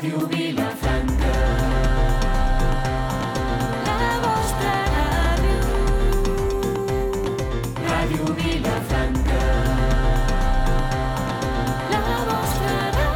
Ràdio Vilafranca. La vostra ràdio. Ràdio Vilafranca. La vostra ràdio.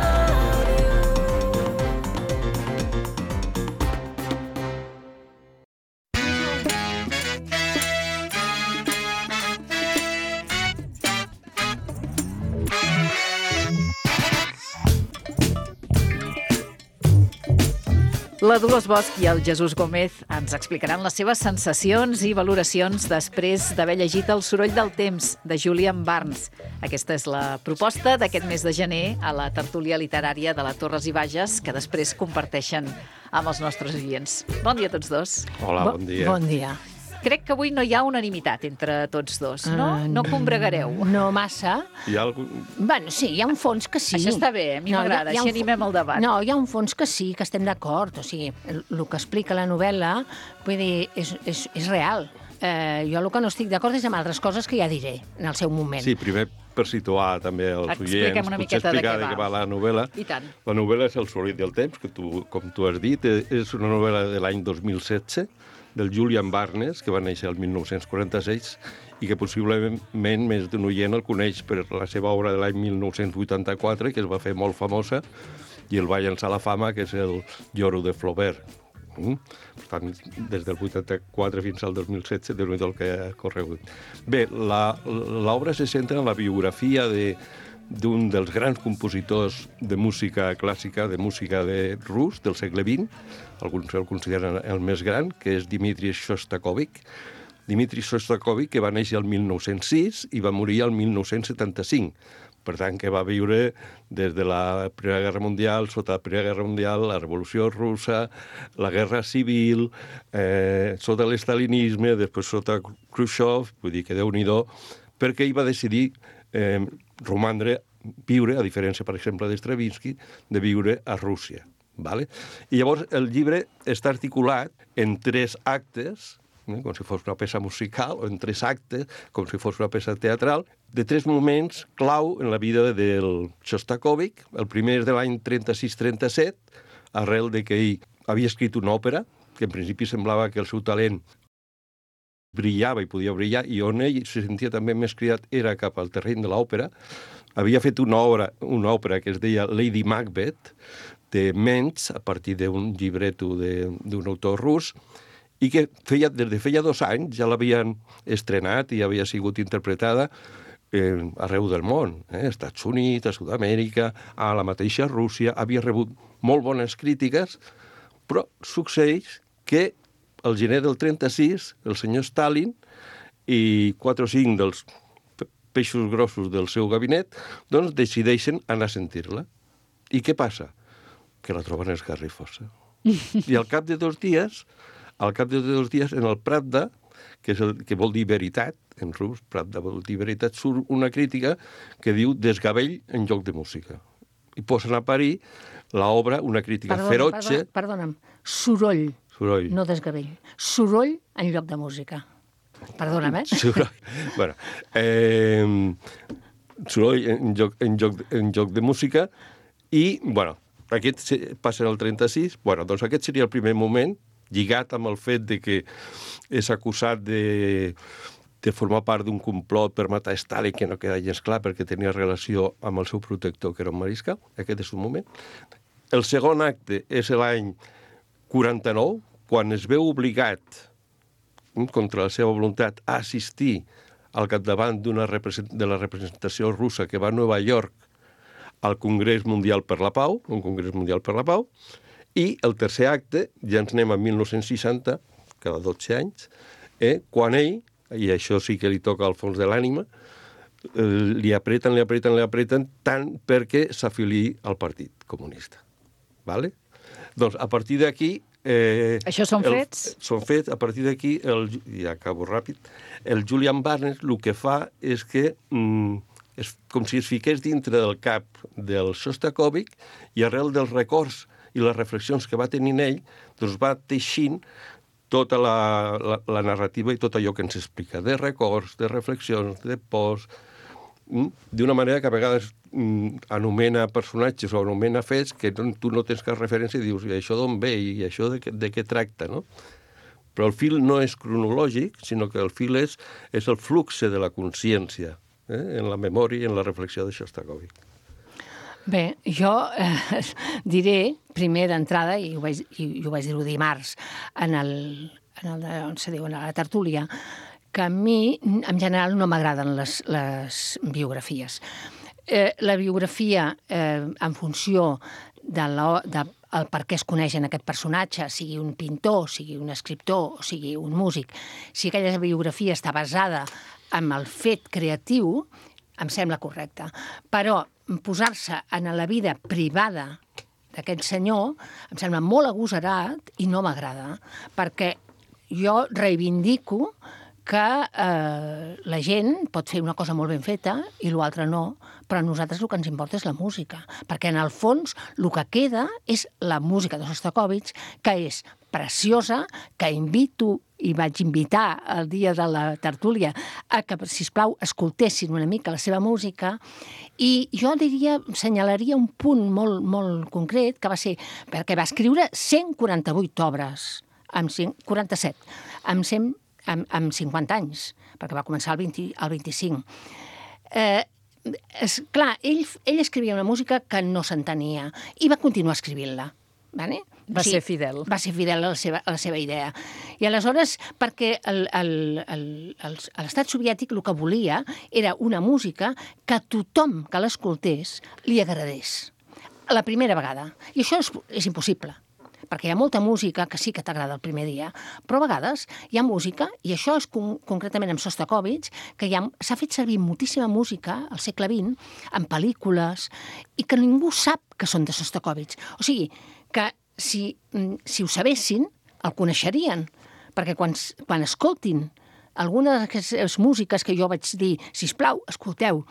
La Dolors Bosch i el Jesús Gómez ens explicaran les seves sensacions i valoracions després d'haver llegit El soroll del temps, de Julian Barnes. Aquesta és la proposta d'aquest mes de gener a la tertúlia literària de la Torres i Bages, que després comparteixen amb els nostres oients. Bon dia a tots dos. Hola, bon dia. Bon dia. Crec que avui no hi ha unanimitat entre tots dos, no? No combregareu. No massa. Hi ha algun... Bueno, sí, hi ha un fons que sí. Això està bé, a mi m'agrada, així animem el debat. No, hi ha un fons que sí, que estem d'acord. O sigui, el que explica la novel·la, vull dir, és real. Jo el que no estic d'acord és amb altres coses que ja diré en el seu moment. Sí, primer per situar també els Expliquem oients, una potser miqueta explicar de què va la novel·la. I tant. La novel·la és El soroll del temps, que com tu has dit, és una novel·la de l'any 2016, del Julian Barnes, que va néixer el 1946 i que possiblement més d'un oient el coneix per la seva obra de l'any 1984, que es va fer molt famosa i el va llançar a la fama, que és el Lloro de Flaubert. Per tant, des del 84 fins al 2016, déu-n'hi-do el que ha corregut. Bé, l'obra se centra en la biografia d'un dels grans compositors de música clàssica, de música rus del segle XX, alguns el consideren el més gran, que és Dmitri Shostakovich. Dmitri Shostakovich, que va néixer el 1906 i va morir el 1975. Per tant, que va viure des de la Primera Guerra Mundial, sota la Primera Guerra Mundial, la Revolució Russa, la Guerra Civil, sota l'estalinisme, després sota Khrushchev, vull dir que Déu-n'hi-do, perquè ell va decidir viure, a diferència, per exemple, d'Stravinsky, de viure a Rússia. Vale? I llavors el llibre està articulat en 3 actes, com si fos una peça musical, o en 3 actes, com si fos una peça teatral, de 3 moments clau en la vida del Shostakovich. El primer és de l'any 36-37, arrel de que ell havia escrit una òpera, que en principi semblava que el seu talent brillava i podia brillar, i on ell se sentia també més cridat era cap al terreny de l'òpera. Havia fet una òpera que es deia Lady Macbeth, de Mentz, a partir d'un llibreto d'un autor rus, i que des de feia 2 anys ja l'havien estrenat i havia sigut interpretada arreu del món, Estats Units, a Sud-amèrica, a la mateixa Rússia, havia rebut molt bones crítiques, però succeeix que al gener del 36 el senyor Stalin i 4 o 5 dels peixos grossos del seu gabinet doncs decideixen anar a sentir-la. I què passa? Que la troben esgarrifosa. I al cap de 2 dies, en el Pravda, que vol dir veritat, en rus, Pravda vol dir veritat, surt una crítica que diu desgavell en lloc de música. I posen a parir l'obra, una crítica ferotge... Perdona'm, soroll, no desgavell. Soroll en lloc de música. Perdona'm, Soroll. Bueno, soroll en lloc de música i, bueno, aquest passa en el 36. Bueno, doncs aquest seria el primer moment, lligat amb el fet de que és acusat de formar part d'un complot per matar Stalin, que no queda gens clar perquè tenia relació amb el seu protector, que era un mariscal. Aquest és un moment. El segon acte és l'any 49, quan es veu obligat, contra la seva voluntat, a assistir al capdavant de la representació russa que va a Nova York al Congrés Mundial per la Pau, un Congrés Mundial per la Pau, i el tercer acte, ja ens anem a 1960, cada 12 anys, quan ell, i això sí que li toca al fons de l'ànima, li apreten tant perquè s'afiliï al Partit Comunista. Vale? Doncs a partir d'aquí... Això són fets? Són fets. A partir d'aquí, ja acabo ràpid, el Julian Barnes el que fa és que és com si es fiqués dintre del cap del Shostakovich i arrel dels records i les reflexions que va tenint ell, doncs va teixint tota la narrativa i tot allò que ens explica, de records, de reflexions, de pors, d'una manera que a vegades anomena personatges o anomena fets que tu no tens cap referència i dius, i això d'on ve i això de què tracta, no? Però el fil no és cronològic, sinó que el fil és el flux de la consciència, en la memòria i en la reflexió de Shostakovich. Bé, jo diré, primer d'entrada, i ho vaig dir dimarts, on se diu, en la tertúlia, que a mi, en general, no m'agraden les biografies. La biografia, en funció del per què es coneixen aquest personatge, sigui un pintor, sigui un escriptor, o sigui un músic, si aquella biografia està basada en el fet creatiu, em sembla correcte. Però posar-se en la vida privada d'aquest senyor em sembla molt agosarat i no m'agrada, perquè jo reivindico que la gent pot fer una cosa molt ben feta i l'altra no, però a nosaltres el que ens importa és la música, perquè en el fons el que queda és la música de Shostakovich, que és preciosa, que invito i vaig invitar el dia de la tertúlia a que, sisplau, escoltessin una mica la seva música, i jo senyalaria un punt molt, molt concret, que va ser perquè va escriure 148 obres, 47, amb 50 anys, perquè va començar el 25. Clar, ell escrivia una música que no s'entenia i va continuar escrivint-la. Vale? Va ser fidel. Va ser fidel a la seva idea. I aleshores, perquè l'estat soviètic el que volia era una música que tothom que l'escoltés li agradés. La primera vegada. I això és impossible, perquè hi ha molta música que sí que t'agrada el primer dia, però a vegades hi ha música, i això és concretament amb Shostakovich, que s'ha fet servir moltíssima música al segle XX, en pel·lícules, i que ningú sap que són de Shostakovich. O sigui, que si ho sabessin, el coneixerien, perquè quan escoltin alguna d'aquestes músiques que jo vaig dir, sisplau, escolteu,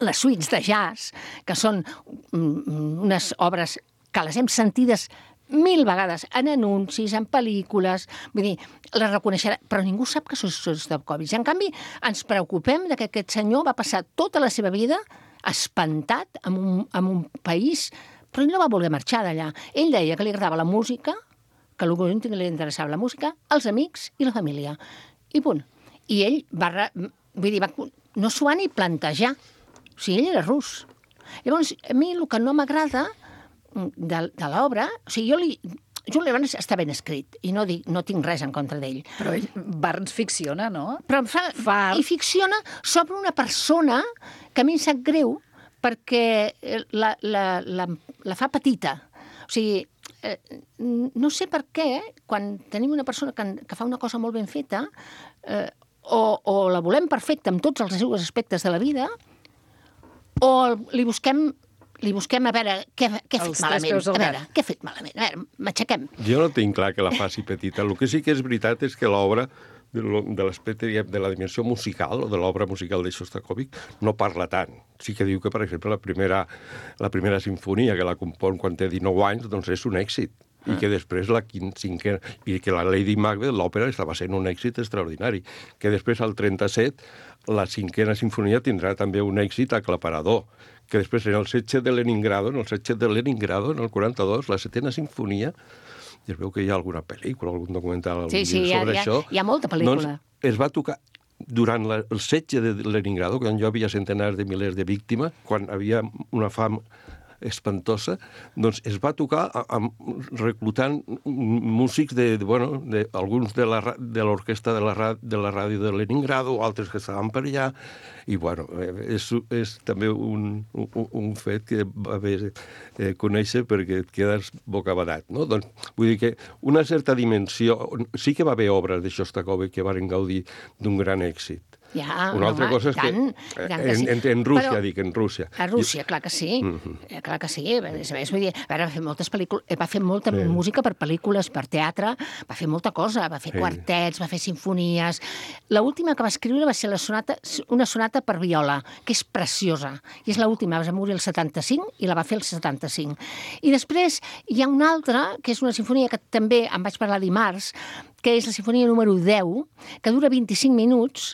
les suites de jazz, que són unes obres que les hem sentides 1000 vegades en anuncis, en pel·lícules, vull dir, les reconeixerà, però ningú sap que són Shostakovich. En canvi, ens preocupem que aquest senyor va passar tota la seva vida espantat en un país, però ell no va voler marxar d'allà. Ell deia que li agradava la música, que l'únic que li interessava la música, els amics i la família. I punt. I ell no s'ho va ni plantejar. O sigui, ell era rus. Llavors, a mi el que no m'agrada de l'obra, o sigui, Jules Barnes està ben escrit i no tinc res en contra d'ell. Però Barnes ficciona, no? Però i ficciona sobre una persona que a mi em sap greu perquè la fa petita. O sigui, no sé per què, quan tenim una persona que fa una cosa molt ben feta, o la volem perfecta amb tots els seus aspectes de la vida, o li busquem a veure què ha fet malament. Què ha fet malament? A veure, m'aixequem. Jo no tinc clar que la faci petita. El que sí que és veritat és que l'obra, de l'aspecte de la dimensió musical o de l'obra musical de Shostakovich, no parla tant. Sí que diu que, per exemple, la primera sinfonia, que la compon quan té 19 anys, doncs és un èxit. I que després la cinquena... I que la Lady Macbeth, l'òpera, estava sent un èxit extraordinari. Que després, al 37, la cinquena sinfonia tindrà també un èxit aclaparador. Que després, en el setge de Leningrado, en el 42, la setena sinfonia, i es veu que hi ha alguna pel·lícula, algun documental sobre això. Hi ha molta pel·lícula. Doncs es va tocar durant el setge de Leningrado, quan hi havia centenars de milers de víctimes, quan havia una fam espantosa, doncs es va tocar reclutant músics alguns de l'orquestra de la ràdio de Leningrado, altres que estaven per allà, i és també un fet que va bé conèixer perquè et quedes bocabadat, no? Doncs vull dir que una certa dimensió... Sí que va haver obres de Shostakovich que van gaudir d'un gran èxit. Una altra cosa és que en Rússia, en Rússia. A Rússia, clar que sí. Clar que sí. Vull dir, va fer moltes pel·lícules, va fer molta música per pel·lícules, per teatre, va fer molta cosa, va fer quartets, va fer sinfonies. L'última que va escriure va ser una sonata per viola, que és preciosa. I és l'última, va morir el 75 i la va fer el 75. I després hi ha una altra, que és una sinfonia que també en vaig parlar dimarts, que és la sinfonia número 10, que dura 25 minuts,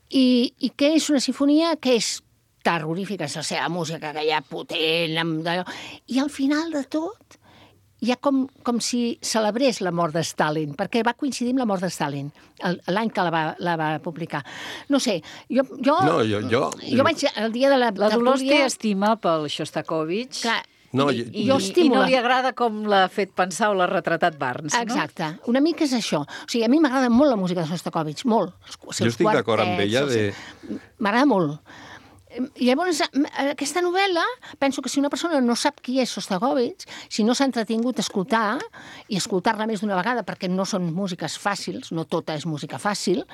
i que és una sinfonia que és terrorífica, és la seva música aquella potent, i al final de tot hi ha com si celebrés la mort de Stalin, perquè va coincidir amb la mort de Stalin, l'any que la va publicar. No sé, jo vaig el dia de la Dolors té tertúlia... estima pel Shostakovich. Clar, No, I jo estimo no li agrada com l'ha fet pensar o l'ha retratat Barnes, no? Exacte, una mica és això. O sigui, a mi m'agrada molt la música de Shostakovich, molt. Jo estic d'acord amb ella M'agrada molt. I llavors, aquesta novel·la, penso que si una persona no sap qui és Shostakovich, si no s'ha entretingut a escoltar, i escoltar-la més d'una vegada, perquè no són músiques fàcils, no tota és música fàcil,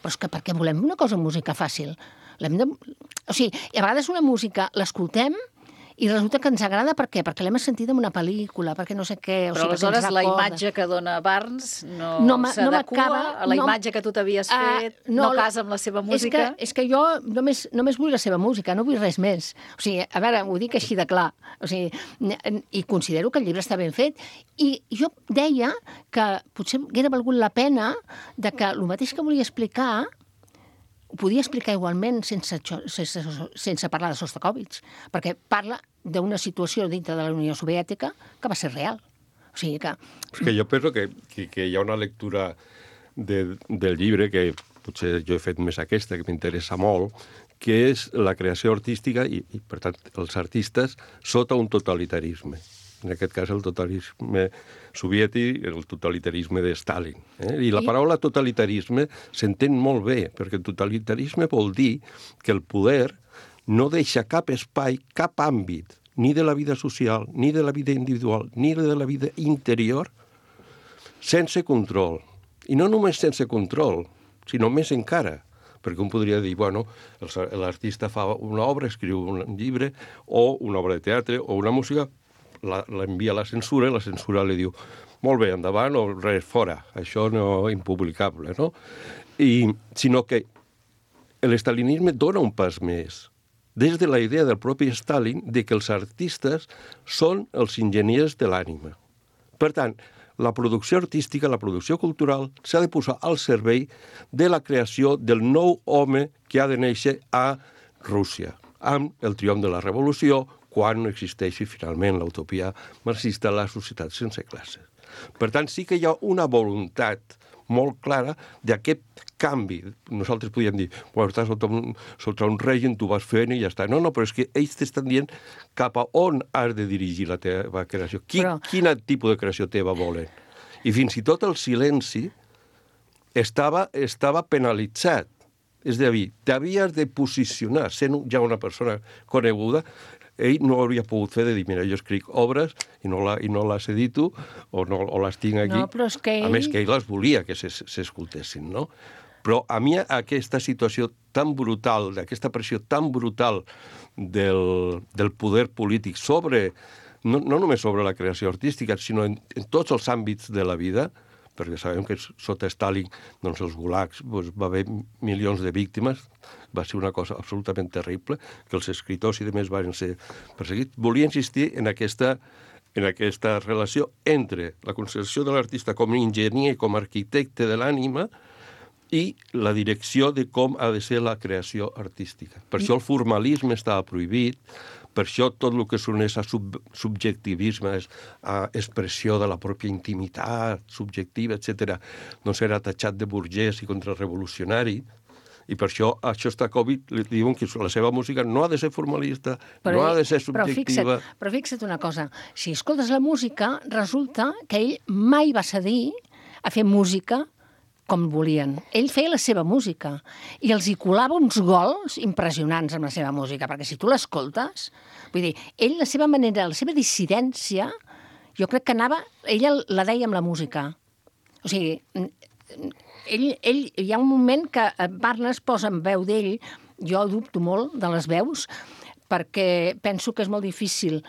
però és que perquè volem una cosa amb música fàcil. O sigui, a vegades una música l'escoltem i resulta que ens agrada, per què? Perquè l'hem sentit en una pel·lícula, perquè no sé què... Però aleshores la imatge que dona Barnes no s'adequa a la imatge que tu t'havies fet, no casa amb la seva música? És que jo només vull la seva música, no vull res més. O sigui, a veure, ho dic així de clar. O sigui, i considero que el llibre està ben fet. I jo deia que potser haguera valgut la pena de que el mateix que volia explicar ho podia explicar igualment sense parlar de Shostakovich, perquè parla d'una situació dintre de la Unió Soviètica que va ser real. O sigui que... És que jo penso que hi ha una lectura del llibre, que potser jo he fet més aquesta, que m'interessa molt, que és la creació artística i, per tant, els artistes sota un totalitarisme. En aquest cas, el totalitarisme soviètic, el totalitarisme de Stalin. I la paraula totalitarisme s'entén molt bé, perquè totalitarisme vol dir que el poder no deixa cap espai, cap àmbit, ni de la vida social, ni de la vida individual, ni de la vida interior, sense control. I no només sense control, sinó més encara. Perquè un podria dir, bueno, l'artista fa una obra, escriu un llibre, o una obra de teatre, o una música, l'envia a la censura, i la censura li diu molt bé, endavant, o res, fora, això no impublicable, no? Sinó que l'estalinisme dona un pas més, des de la idea del propi Stalin de que els artistes són els enginyers de l'ànima. Per tant, la producció artística, la producció cultural, s'ha de posar al servei de la creació del nou home que ha de néixer a Rússia, amb el triomf de la revolució, quan no existeixi finalment l'utopia marxista, la societat sense classes. Per tant, sí que hi ha una voluntat molt clara d'aquest canvi. Nosaltres podríem dir, bueno, estàs sota un règim, tu vas fent i ja està. No, però és que ells t'estan dient cap a on has de dirigir la teva creació. Quin tipus de creació teva volen? I fins i tot el silenci estava penalitzat. És a dir, t'havies de posicionar, sent ja una persona coneguda. Ell no hauria pogut fer de dir, mira, jo escric obres i no les edito o les tinc aquí. No, però és que ell... A més, que ell les volia que s'escoltessin, no? Però a mi aquesta situació tan brutal, d'aquesta pressió tan brutal del poder polític sobre, no només sobre la creació artística, sinó en tots els àmbits de la vida, perquè sabem que sota Stalin, doncs els gulags, va haver milions de víctimes, va ser una cosa absolutament terrible, que els escriptors i demés van ser perseguits. Volia insistir en aquesta relació entre la concepció de l'artista com a enginyer i com a arquitecte de l'ànima i la direcció de com ha de ser la creació artística. Per això el formalisme estava prohibit, per això tot el que s'uneix a subjectivisme, a expressió de la pròpia intimitat subjectiva, etc., doncs era tatxat de burgès i contrarrevolucionari, i per això a Shostakovich li diuen que la seva música no ha de ser formalista, no ha de ser subjectiva. Però fixa't una cosa, si escoltes la música, resulta que ell mai va cedir a fer música com volien. Ell feia la seva música i els hi colava uns gols impressionants amb la seva música, perquè si tu l'escoltes, vull dir, ell, la seva manera, la seva dissidència, jo crec que anava, ella la deia amb la música. O sigui, ell hi ha un moment que Barnes posa en veu d'ell, jo dubto molt de les veus, perquè penso que és molt difícil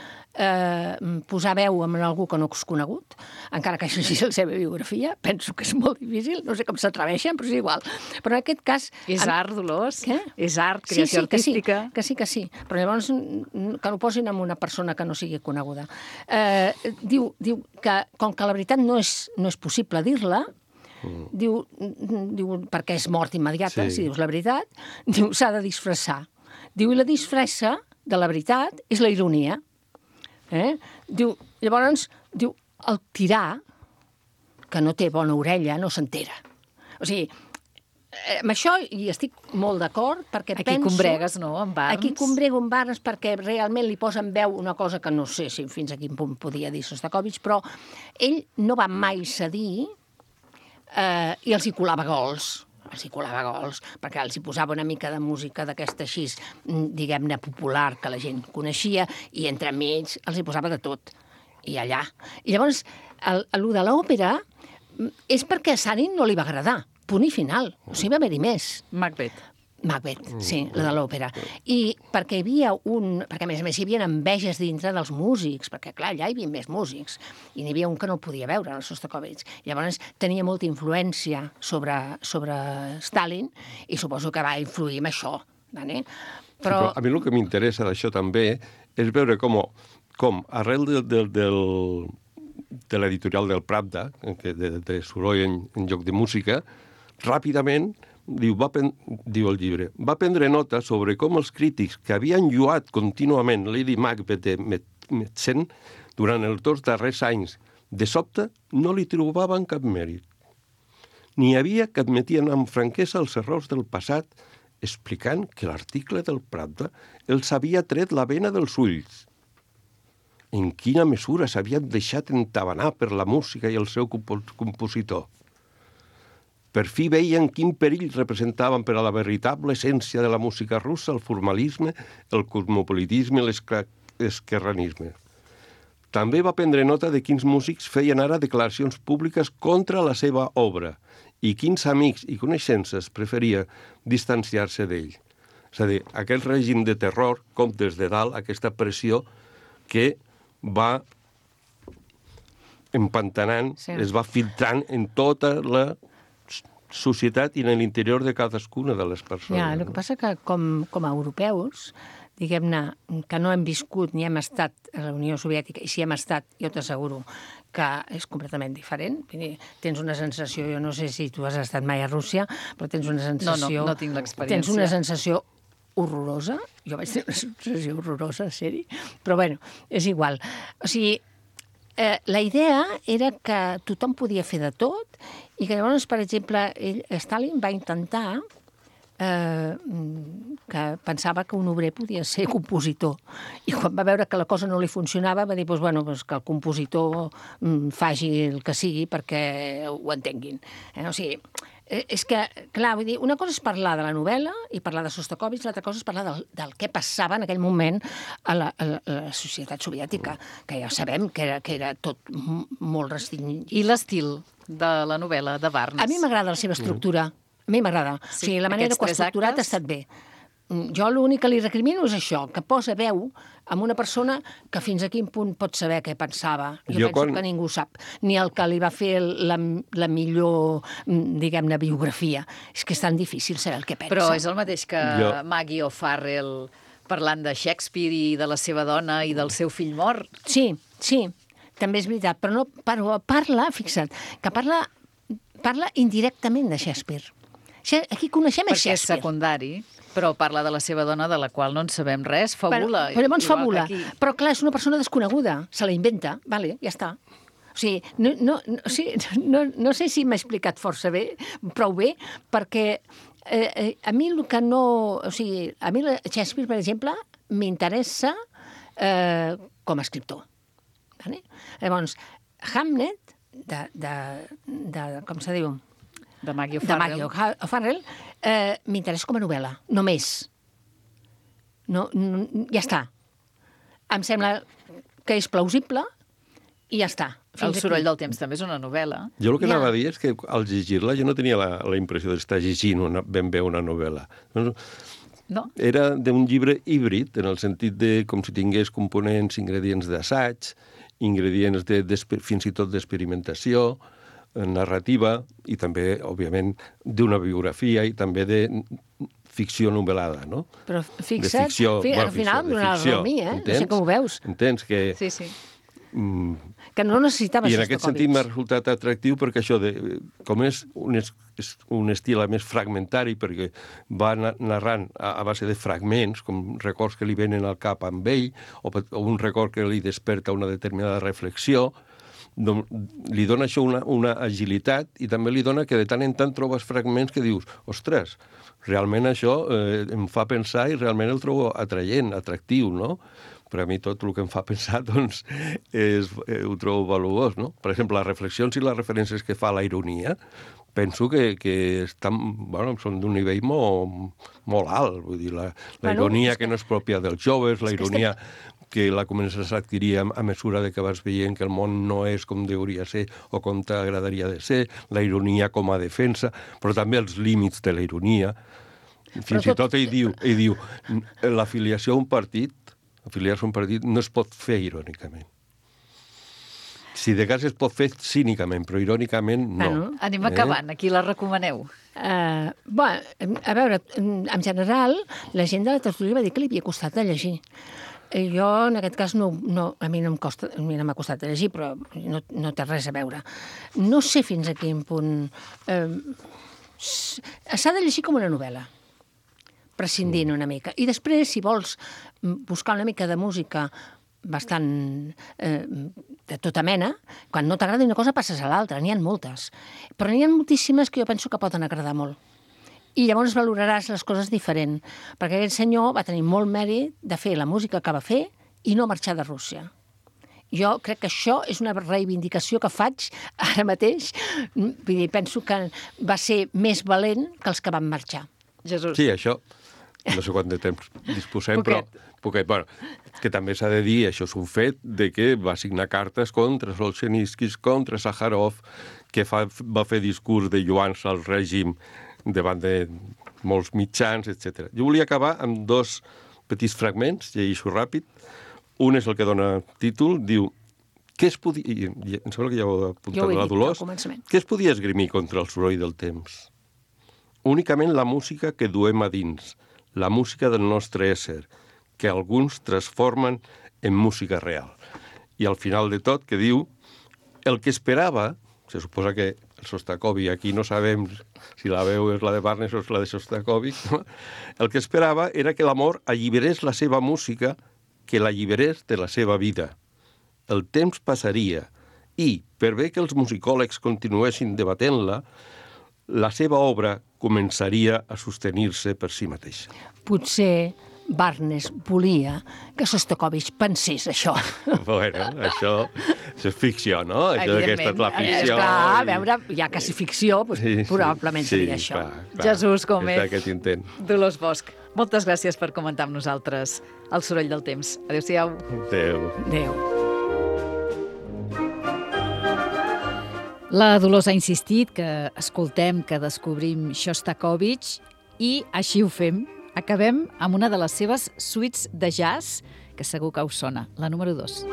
posar veu en algú que no és conegut, encara que això sigui la seva biografia, penso que és molt difícil, no sé com s'atreveixen, però és igual. Però en aquest cas... És art, Dolors? Què? És art, creació artística? Que sí. Però llavors que no posin en una persona que no sigui coneguda. Diu que, com que la veritat no és possible dir-la, diu perquè és mort immediata, si dius la veritat, diu s'ha de disfressar. Diu, i la disfressa de la veritat és la ironia. Diu, llavors, diu, el tirà, que no té bona orella, no s'entera. O sigui, amb això hi estic molt d'acord, perquè Aquí penso... combregues, no?, amb Barnes. Aquí combrego amb Barnes perquè realment li posa en veu una cosa que no sé si fins a quin punt podia dir Sostakovich, però ell no va mai cedir i els hi colava gols. Perquè els hi posava una mica de música d'aquesta així, diguem-ne, popular, que la gent coneixia, i entremig els hi posava de tot, i allà. I llavors, el de l'òpera és perquè a Sanin no li va agradar, punt i final, o sigui, va haver-hi més. Macbeth, sí, la de l'òpera. I perquè hi havia perquè a més hi havia enveges dintre dels músics, perquè clar, allà hi havia més músics, i n'hi havia un que no podia veure, el Sostakovich. Llavors tenia molta influència sobre Stalin, i suposo que va influir en això. Vale? Però a mi el que m'interessa d'això també és veure com arrel de l'editorial del Pravda, de soroll en lloc de música, ràpidament, diu el llibre, va prendre nota sobre com els crítics que havien lluat contínuament Lady Macbeth de Metzen durant els 2 darrers anys, de sobte no li trobaven cap mèrit. N'hi havia que admetien amb franquesa els errors del passat, explicant que l'article del Pravda els havia tret la vena dels ulls. En quina mesura s'havien deixat entabanar per la música i el seu compositor. Per fi veien quin perill representaven per a la veritable essència de la música russa el formalisme, el cosmopolitisme i l'esquerranisme. També va prendre nota de quins músics feien ara declaracions públiques contra la seva obra i quins amics i coneixences preferia distanciar-se d'ell. És a dir, aquell règim de terror, com des de dalt, aquesta pressió que va empantanant, es va filtrant en tota la societat i en l'interior de cadascuna de les persones. Ja, el que passa que com a europeus, diguem-ne, que no hem viscut ni hem estat a la Unió Soviètica, i si hem estat, jo t'asseguro que és completament diferent. Tens una sensació, jo no sé si tu has estat mai a Rússia, però tens una sensació... No tinc l'experiència. Tens una sensació horrorosa. Jo vaig tenir una sensació horrorosa, seri. Però bueno, és igual. O sigui, la idea era que tothom podia fer de tot i que llavors, per exemple, Stalin va intentar que pensava que un obrer podia ser compositor. I quan va veure que la cosa no li funcionava va dir que el compositor faci el que sigui perquè ho entenguin. O sigui, és que, clar, vull dir, una cosa és parlar de la novel·la i parlar de Sostakovich, l'altra cosa és parlar del què passava en aquell moment a la societat soviètica, que ja sabem que era tot molt restringit. I l'estil de la novel·la de Barnes? A mi m'agrada la seva estructura. A mi m'agrada. Sí, o sigui, la manera que ho ha estructurat ha estat bé. Jo l'únic que li recrimino és això, que posa veu amb una persona que fins a quin punt pot saber què pensava. Jo penso que ningú sap. Ni el que li va fer la millor, diguem-ne, biografia. És que és tan difícil saber el que pensa. Però és el mateix que Maggie O'Farrell parlant de Shakespeare i de la seva dona i del seu fill mort. Sí, també és veritat. Però parla, fixa't, que parla indirectament de Shakespeare. Aquí coneixem Shakespeare. Perquè és secundari, però parla de la seva dona, de la qual no en sabem res, fabula. Però llavors fabula. Però clar, és una persona desconeguda, se la inventa, vale, ja està. O sigui, no sé si m'he explicat força bé, prou bé, perquè a mi el que no... O sigui, a mi Shakespeare, per exemple, m'interessa com a escriptor. Vale? Llavors, Hamlet, com se diu? De Maggie O'Farrell, m'interessa com a novel·la, només. Ja està. Em sembla que és plausible i ja està. El soroll del temps també és una novel·la. Jo el que anava a dir és que al llegir-la jo no tenia la impressió d'estar llegint ben bé una novel·la. No. Era d'un llibre híbrid, en el sentit de com si tingués components, ingredients d'assaig, ingredients fins i tot d'experimentació, narrativa i també, òbviament, d'una biografia i també de ficció novel·lada, no? Però fixa't, al final em donarà la raó a mi, No sé com ho veus. Entens que... Sí. que no necessitava I en aquest sentit m'ha resultat atractiu perquè això, com és un estil més fragmentari, perquè va narrant a base de fragments, com records que li venen al cap amb ell, o un record que li desperta una determinada reflexió, doncs li dona això una agilitat i també li dona que de tant en tant trobes fragments que dius, ostres, realment això em fa pensar i realment el trobo atraient, atractiu, no? Per a mi tot el que em fa pensar, doncs, ho trobo valuós, no? Per exemple, les reflexions i les referències que fa a la ironia, penso que estan, són d'un nivell molt alt. Vull dir, la ironia que no és pròpia dels joves, la ironia que la comences a adquirir a mesura de que vas veient que el món no és com hauria de ser o com t'agradaria de ser, la ironia com a defensa, però també els límits de la ironia. Fins i tot ell diu l'afiliació a un partit no es pot fer irònicament. Si de cas es pot fer cínicament, però irònicament no. Anem acabant, aquí la recomaneu. A veure, en general, la gent de la tertúlia va dir que li havia costat de llegir. Jo, en aquest cas, a mi no m'ha costat de llegir, però no té res a veure. No sé fins a quin punt... S'ha de llegir com una novel·la, prescindint una mica. I després, si vols buscar una mica de música bastant de tota mena, quan no t'agrada una cosa passes a l'altra, n'hi ha moltes. Però n'hi ha moltíssimes que jo penso que poden agradar molt. I llavors valoraràs les coses diferent, perquè aquest senyor va tenir molt mèrit de fer la música que va fer i no marxar de Rússia. Jo crec que això és una reivindicació que faig ara mateix. Vull dir, penso que va ser més valent que els que van marxar. Jesús. Sí, això, no sé quant de temps disposem, però poquet. Bueno, que també s'ha de dir, això és un fet, de que va signar cartes contra Solzhenitsyn, contra Sájarov, que va fer discurs de lluans al règim davant de molts mitjans, etc. Jo volia acabar amb 2 petits fragments, llegeixo ràpid. Un és el que dona títol, diu, què es podia... Em sembla que ja ho ha apuntat la Dolors. Què es podia esgrimir contra el soroll del temps? Únicament la música que duem a dins, la música del nostre ésser, que alguns transformen en música real. I al final de tot, que diu, el que esperava, se suposa que el Sostakovich, aquí no sabem si la veu és la de Barnes o és la de Sostakovich, no? El que esperava era que l'amor alliberés la seva música, que l'alliberés de la seva vida. El temps passaria i, per bé que els musicòlegs continuessin debatent-la, la seva obra començaria a sostenir-se per si mateixa. Potser Barnes volia que Sostakovich pensés això. Bueno, això és ficció, no? Això que ha estat la ficció. Clar, a veure, ja quasi ficció, doncs probablement seria això. Clar, Jesús Gómez. És aquest intent. Dolors Bosch, moltes gràcies per comentar amb nosaltres El soroll del temps. Adéu-siau. Adéu. Adéu. La Dolors ha insistit que escoltem, que descobrim Shostakovich i així ho fem. Acabem amb una de les seves suites de jazz, que segur que us sona, la número 2.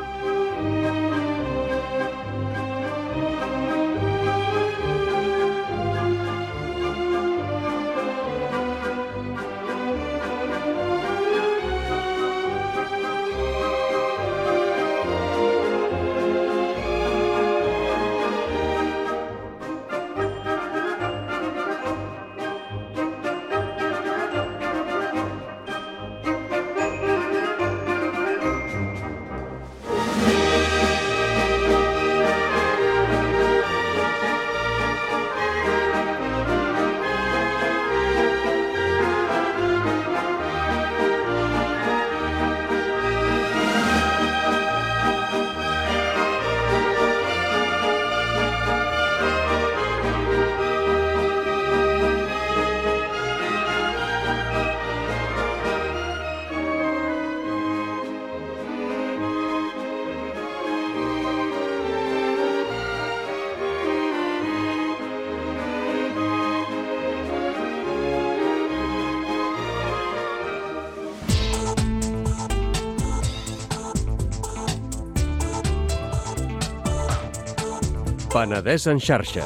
Penedès en xarxa.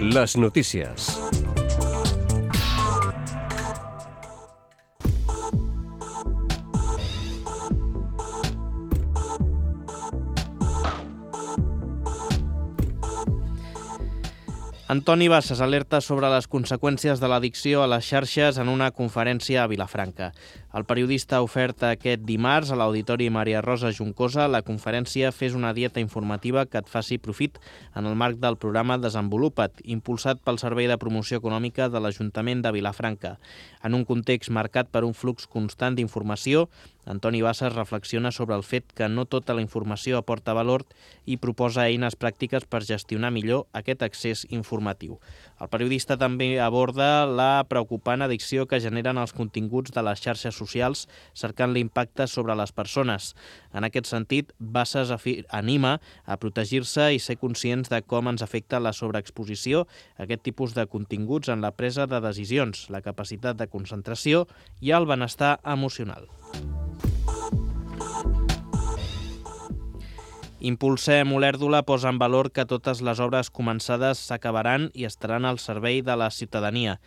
Les notícies. Antoni Bassas alerta sobre les conseqüències de l'addicció a les xarxes en una conferència a Vilafranca. El periodista ha ofert aquest dimarts a l'Auditori Maria Rosa Juncosa la conferència Fes una dieta informativa que et faci profit en el marc del programa Desenvolupa't, impulsat pel Servei de Promoció Econòmica de l'Ajuntament de Vilafranca. En un context marcat per un flux constant d'informació, Antoni Bassas reflexiona sobre el fet que no tota la informació aporta valor i proposa eines pràctiques per gestionar millor aquest accés informatiu. El periodista també aborda la preocupant addicció que generen els continguts de les xarxes socials cercant l'impacte sobre les persones. En aquest sentit, Bassas anima a protegir-se i ser conscients de com ens afecta la sobreexposició a aquest tipus de continguts en la presa de decisions, la capacitat de concentració i el benestar emocional. Impulsem Olèrdola posa en valor que totes les obres començades s'acabaran i estaran al servei de la ciutadania.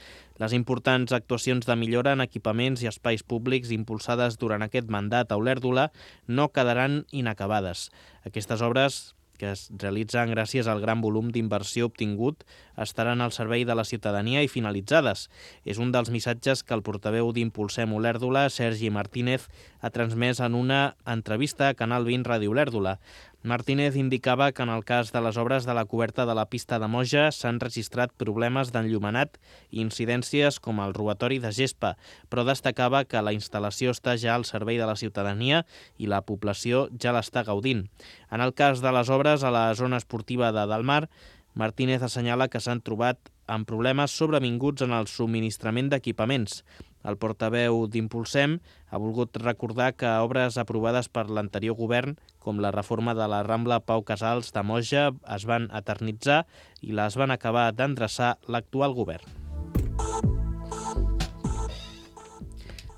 Les importants actuacions de millora en equipaments i espais públics impulsades durant aquest mandat a Olèrdola no quedaran inacabades. Aquestes obres, que es realitzen gràcies al gran volum d'inversió obtingut, estaran al servei de la ciutadania i finalitzades. És un dels missatges que el portaveu d'Impulsem Olèrdola, Sergi Martínez, ha transmès en una entrevista a Canal 20 Ràdio Olèrdola. Martínez indicava que en el cas de les obres de la coberta de la pista de Moja s'han registrat problemes d'enllumenat i incidències com el robatori de gespa, però destacava que la instal·lació està ja al servei de la ciutadania i la població ja l'està gaudint. En el cas de les obres a la zona esportiva de Dalmar, Martínez assenyala que s'han trobat amb problemes sobrevinguts en el subministrament d'equipaments. El portaveu d'Impulsem ha volgut recordar que obres aprovades per l'anterior govern, com la reforma de la Rambla Pau Casals de Moja, es van eternitzar i les van acabar d'endreçar l'actual govern.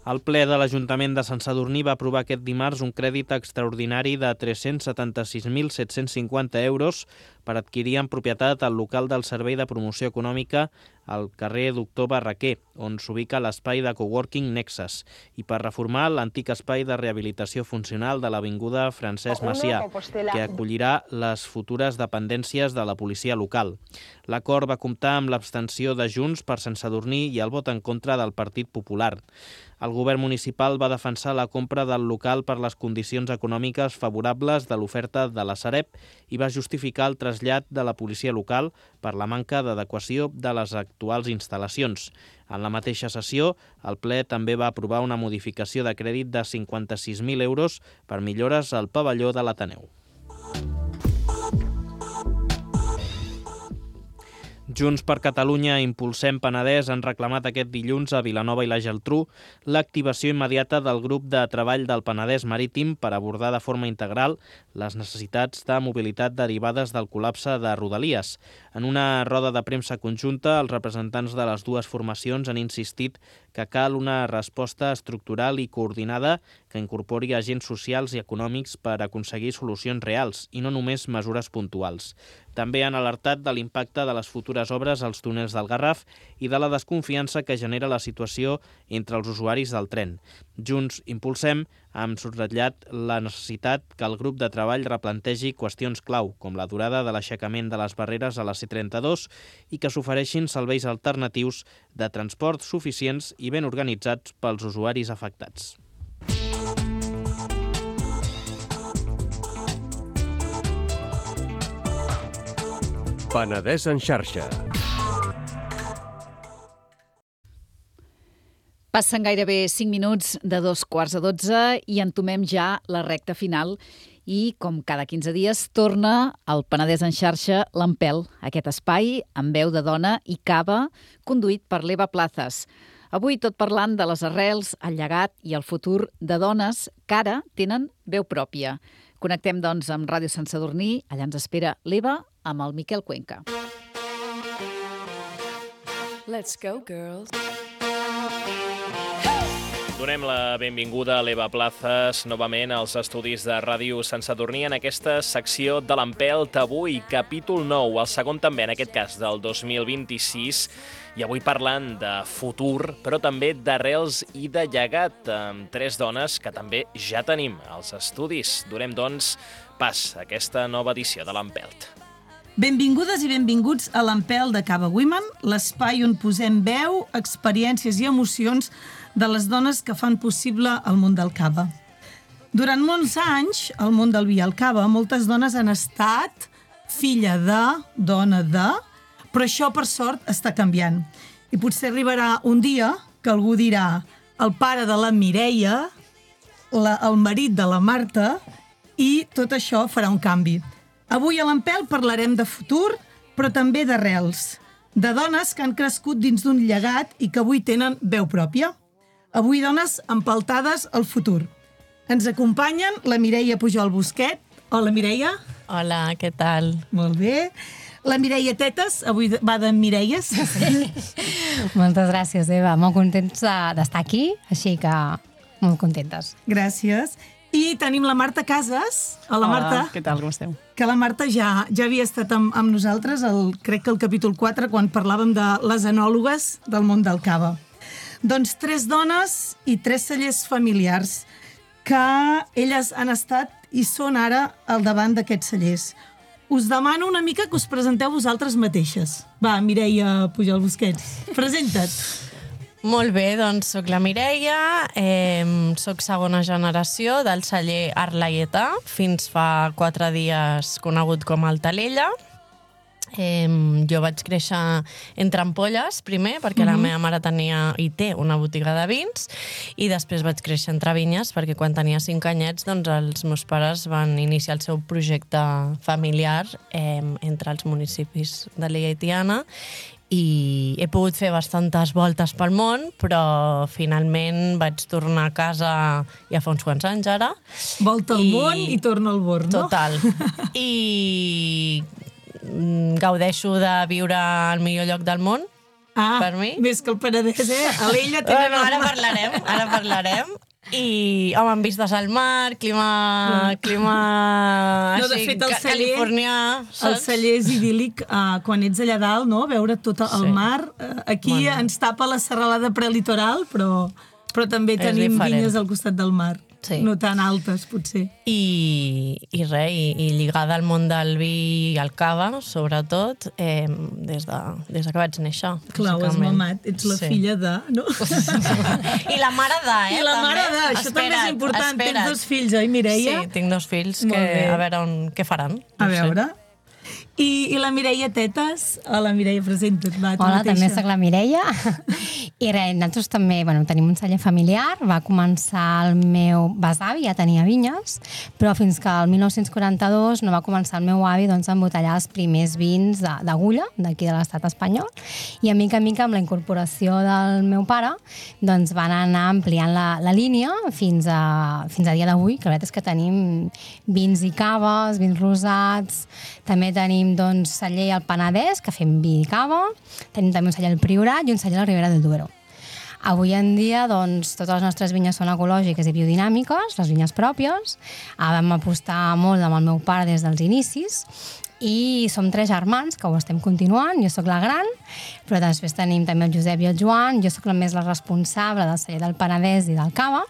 El ple de l'Ajuntament de Sant Sadurní va aprovar aquest dimarts un crèdit extraordinari de 376.750 euros per adquirir en propietat el local del Servei de Promoció Econòmica al carrer Doctor Barraquer, on s'ubica l'espai de coworking Nexus, i per reformar l'antic espai de rehabilitació funcional de l'Avinguda Francesc Macià, que acollirà les futures dependències de la policia local. L'acord va comptar amb l'abstenció de Junts per Sant Sadurní i el vot en contra del Partit Popular. El govern municipal va defensar la compra del local per les condicions econòmiques favorables de l'oferta de la Sareb i va justificar el trasllat de la policia local per la manca d'adequació de les actuals instal·lacions. En la mateixa sessió, el ple també va aprovar una modificació de crèdit de 56.000 euros per millores al pavelló de l'Ateneu. Junts per Catalunya i Impulsem Penedès han reclamat aquest dilluns a Vilanova i la Geltrú l'activació immediata del grup de treball del Penedès Marítim per abordar de forma integral les necessitats de mobilitat derivades del col·lapse de Rodalies. En una roda de premsa conjunta, els representants de les dues formacions han insistit que cal una resposta estructural i coordinada que incorpori agents socials i econòmics per aconseguir solucions reals i no només mesures puntuals. També han alertat de l'impacte de les futures obres als túnels del Garraf i de la desconfiança que genera la situació entre els usuaris del tren. Junts Impulsem han subratllat la necessitat que el grup de treball replantegi qüestions clau, com la durada de l'aixecament de les barreres a la C32 i que s'ofereixin serveis alternatius de transport suficients i ben organitzats pels usuaris afectats. Penedès en xarxa. Passen gairebé 5 minuts de 2:15 i entomem ja la recta final i, com cada 15 dies, torna al Penedès en xarxa l'Empel, aquest espai amb veu de dona i cava conduït per l'Eva Plazas. Avui tot parlant de les arrels, el llegat i el futur de dones que ara tenen veu pròpia. Connectem, doncs, amb Ràdio Sant Sadurní. Allà ens espera l'Eva amb el Miquel Cuenca. Let's go, girls. Donem la benvinguda a l'Eva Plazas novament als estudis de Ràdio Sant Sadurní en aquesta secció de l'Empelt. Avui, capítol 9, el segon també, en aquest cas, del 2026, i avui parlant de futur, però també d'arrels i de llegat, amb 3 dones que també ja tenim als estudis. Donem, doncs, pas a aquesta nova edició de l'Empelt. Benvingudes i benvinguts a l'Empelt de Cava Women, l'espai on posem veu, experiències i emocions de les dones que fan possible el món del cava. Durant molts anys, al món del vi i el cava, moltes dones han estat filla de, dona de, però això, per sort, està canviant. I potser arribarà un dia que algú dirà el pare de la Mireia, el marit de la Marta, i tot això farà un canvi. Avui a l'Empelt parlarem de futur, però també d'arrels, de dones que han crescut dins d'un llegat i que avui tenen veu pròpia. Avui dones empeltades al futur. Ens acompanyen la Mireia Pujol Busquet. Hola, Mireia. Hola, què tal? Molt bé. La Mireia Tetes, avui va de Mireies. Sí. Moltes gràcies, Eva. Molt contents d'estar aquí, així que molt contentes. Gràcies. I tenim la Marta Casas. Hola, Marta. Què tal, com esteu? Que la Marta ja havia estat amb nosaltres, crec que el capítol 4, quan parlàvem de les enòlogues del món del cava. Doncs 3 dones i 3 cellers familiars que elles han estat i són ara al davant d'aquests cellers. Us demano una mica que us presenteu vosaltres mateixes. Va, Mireia Pujol Busquets, presenta't. Molt bé, doncs soc la Mireia, soc segona generació del celler Arlaietà, fins fa 4 dies conegut com el Talella. Jo vaig créixer entre ampolles, primer, perquè la meva mare tenia i té una botiga de vins, i després vaig créixer entre vinyes, perquè quan tenia 5 anyets, doncs els meus pares van iniciar el seu projecte familiar entre els municipis de l'Illa i Tiana, i he pogut fer bastantes voltes pel món, però finalment vaig tornar a casa ja fa uns quants anys ara. Volta al món i torna al born, no? Total. I gaudeixo de viure al millor lloc del món, per mi. Més que el Penedès, A l'Illa tenen ara parlarem. I, home, amb vistes al mar, clima no, de així, fet, californià. El celler és idíl·lic quan ets allà dalt, no? Veure tot el mar. Aquí ens tapa la serralada prelitoral, però també tenim vinyes al costat del mar. Sí. No tan altes, potser. I lligada al món del vi i el cava, sobretot, des que vaig néixer. Clar, ho has mamat. Ets la filla de... No? I la mare de, I la mare de. Això també és important. Tens 2 fills, oi, Mireia? Sí, tinc 2 fills que a veure què faran. A veure... I la Mireia Tetes? Hola, Mireia, presenta't. Hola, també soc la Mireia. I res, nosaltres també tenim un celler familiar. Va començar el meu besavi, ja tenia vinyes, però fins que el 1942 no va començar el meu avi a embotellar els primers vins d'agulla d'aquí de l'estat espanyol. I a mica amb la incorporació del meu pare van anar ampliant la línia fins a dia d'avui, que la veritat és que tenim vins i caves, vins rosats, també tenim celler al Penedès, que fem vi i cava, tenim també un celler al Priorat i un celler a la Ribera del Duero. Avui en dia, totes les nostres vinyes són ecològiques i biodinàmiques, les vinyes pròpies. Vam apostar molt amb el meu pare des dels inicis i som 3 germans que ho estem continuant. Jo sóc la gran, però després tenim també el Josep i el Joan. Jo sóc la responsable del celler del Penedès i del cava,